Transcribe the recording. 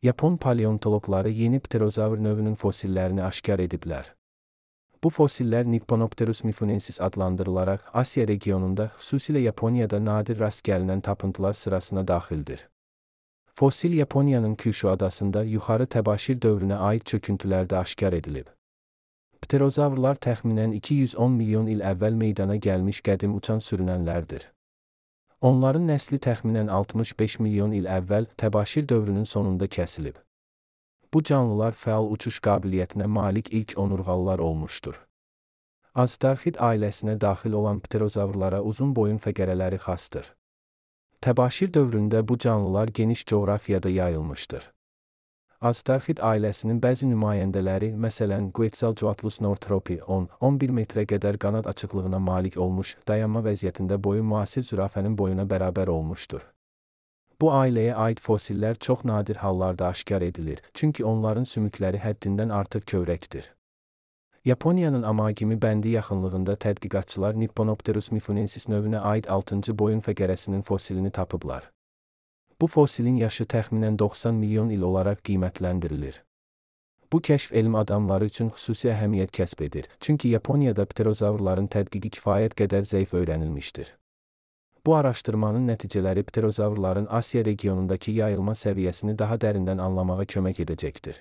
Yapon paleontoloqları yeni pterozavr növünün fosillerini aşkar ediblər. Bu fosillər Nippopterus mifunensis adlandırılaraq Asiya regionunda, xüsusilə Yaponiyada nadir rast gəlinən tapıntılar sırasına daxildir. Fosil Yaponiyanın Kyushu adasında yuxarı təbaşir dövrünə aid çöküntülərdə aşkar edilib. Pterozavrlar təxminən 210 milyon il əvvəl meydana gəlmiş qədim uçan sürünənlərdir. Onların nəsli təxminən 65 milyon il əvvəl təbaşir dövrünün sonunda kəsilib. Bu canlılar fəal uçuş qabiliyyətinə malik ilk onurğalılar olmuşdur. Aztarxid ailəsinə daxil olan pterozavrlara uzun boyun fəqərələri xasdır. Təbaşir dövründə bu canlılar geniş coğrafiyada yayılmışdır. Aztarxid ailəsinin bəzi nümayəndələri, məsələn, Quetzalcoatlus northropi 10-11 metrə qədər qanad açıqlığına malik olmuş, dayanma vəziyyətində boyu müasir zürafənin boyuna bərabər olmuşdur. Bu ailəyə aid fosillər çox nadir hallarda aşkar edilir, çünki onların sümükləri həddindən artıq kövrəkdir. Yaponiyanın Amagimi bəndi yaxınlığında tədqiqatçılar Nippopterus mifunensis növünə aid 6-cı boyun fəqərəsinin fosilini tapıblar. Bu fosilin yaşı təxminən 90 milyon il olaraq qiymətləndirilir. Bu kəşf elm adamları üçün xüsusi əhəmiyyət kəsb edir, çünki Yaponiyada pterozavrların tədqiqi kifayət qədər zəif öyrənilmişdir. Bu araşdırmanın nəticələri pterozavrların Asiya regionundakı yayılma səviyyəsini daha dərindən anlamağa kömək edəcəkdir.